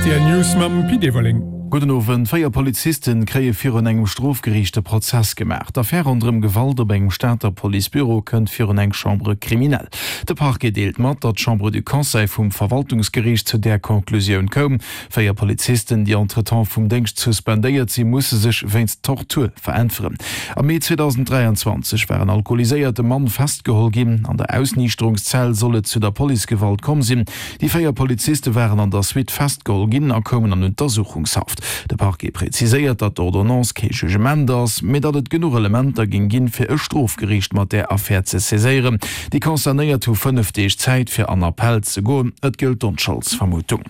D'RTL News mam Pit Everling. Gudden Owend. 4 Polizisten kréie virun engem Strofgeriicht e Prozess gemaach. D'Affär ronderëm Gewalt op engem Stater Policebüro kënnt virun eng Chambre criminelle. De Parquet deelt mat, datt d'Chambre du Conseil vum Verwaltungsgeriicht zu där Conclusioun koum. 4 Polizisten, déi entretemps vum Déngscht suspendéiert sinn, musse sech wéinst Tortur veräntweren. Am Mee 2023 war en alkoholiséierte Mann festgeholl ginn. An der Ausniichterungszell soll et zu der Policegewalt komm sinn. Déi 4 Poliziste waren an der Suite festgeholl ginn a koumen an Untersuchungshaft. De Parquet präziséiert, datt d'Ordonnance kee Jugement ass, mee datt et genuch Elementer géing ginn, fir e Strofgeriicht mat där Affär ze saiséieren. Déi Concernéiert hu 5 Deeg Zäit, fir an Appell ze goen. Et gëllt d'Onscholdsvermutung.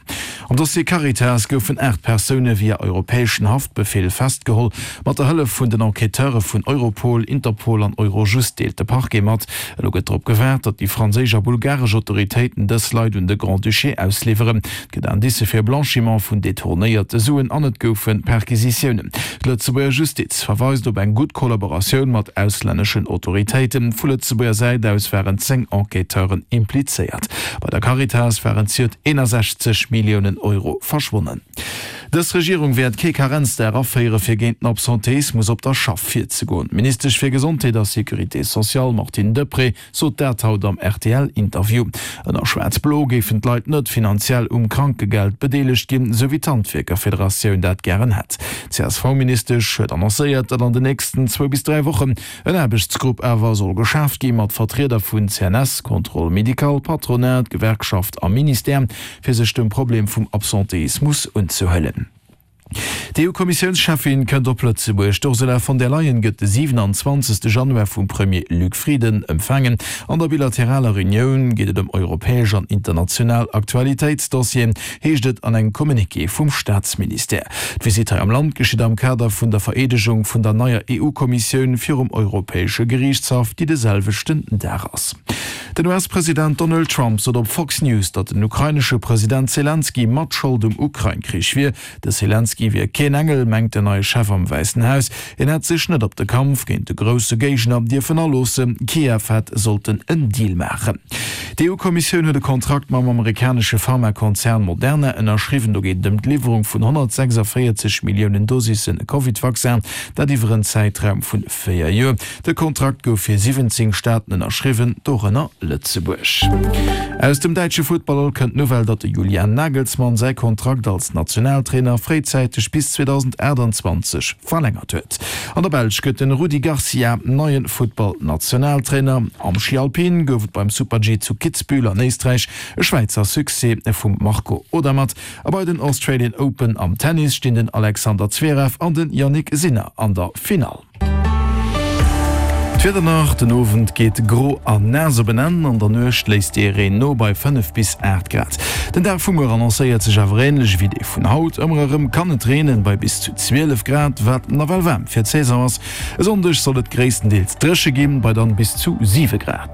Am Dossier Caritas goufen 8 Persoune via europäeschen Haftbefeel festgeholl. Mat der Hëllef vun den Enquêteure vun Europol, Interpol an Eurojust, deelt de Parquet mat. Elo gëtt drop gewaart, datt déi franséisch a bulgaresch Autoritéiten dës Leit un de Grand-Duché ausliwweren. Et gëtt Indicë fir e Blanchiment vun detournéierte Suen an et goufe Perquisitiounen. D'Lëtzebuerger Justiz verweist op eng gutt Kollaboratioun mat auslänneschen Autoritéiten. Vu Lëtzebuerger Säit aus waren 10 Enquêteuren implizéiert. Bei der Caritas waren zejoert 61 Milliounen Euro verschwonnen. Dës Regierung wäert kee Karenzdag aféiere fir géint den Absenteismus op der Schaff virzegoen. D'Ministesch fir Gesondheet a Sécurité sociale Martine Deprez sot dat haut am RTL-Interview. Ënner Schwaarz-Blo géifen d'Leit net finanziell um Krankegeld bedeelegt ginn, sou wéi d'Handwierkerfederatioun dat gären hätt. D'CSV-Ministesch huet annoncéiert, datt an den nächsten zwou bis 3 Wochen En Aarbechtsgrupp awer soll geschaaft gi mat Vertrieder vun CNS, Contrôle médical, Patronat, Gewerkschaft a Ministère, fir sech dem Problem vum Absenteismus unzehuelen. D'EU-Kommissiounscheffin kënnt op Lëtzebuerg. D'Ursula von der Leyen gëtt de 27. Januar vum Premier Luc Frieden empfaangen. An der bilateraler Reunioun geet et ëm europäesch an international Aktualitéitsdossieren. heescht et an engem Communiqué vum Staatsministère. D'Visitt hei am Land geschitt am Kader vun der Vereedegung vun der neier EU-Kommissioun virum Europäesche Geriichtshaff, déi de selwechten Dag ass. Den US-President Donald Trump sot op Fox News, datt den ukrainesche President Selenskyj mat Schold um Ukrain-Krich wier. De Selenskyj wier keen Engel, mengt den neie Chef am Wäissen Haus. Hien hätt sech net op de Kampf géint de grousse Géigner dierfen aloossen. Kiew hätt sollten en Deal maachen. D'EU-Kommissioun huet e Kontrakt mam amerikanesche Pharmakonzern Moderna ënnerschriwwen. Do geet et ëm d'Liwwerung vun 146 Milliounen Dosisse Covid-Vaccin, dat iwwer en Zäitraum vun 4 Joer. De Kontrakt gouf fir 17 Staaten ënnerschriwwen, dorënner Lëtzebuerg. Aus dem däitsche Futtball kënnt d'Nouvelle, datt de Julian Nagelsmann säi Kontrakt als Nationaltrainer fréizäiteg bis 2028 verlängert huet. An der Belsch gëtt den Rudi Garcia neie Futtball-Nationaltrainer. Am Schi Alpin gouf et beim Super-G zu Kitzbühel an Éisträich e Schwäizer Succès vum Marco Odermatt. A bei den Australian Open am Tennis stinn den Alexander Zverev an den Jannik Sinner an der Finall. D'Wieder nach, Den Owend geet gro an naass op en Enn, an der Nuecht léisst dee Reen no bei 5 bis 8 Grad. Den Dag vu muer annoncéiert sech awer änlech ewéi dee vun haut, ëmmer erëm kann et reenen bei bis zu 12 Grad, wat nawell waarm fir d'Saison ass. E Sonndeg soll et gréisstendeels dréche ginn, bei dann bis zu 7 Grad.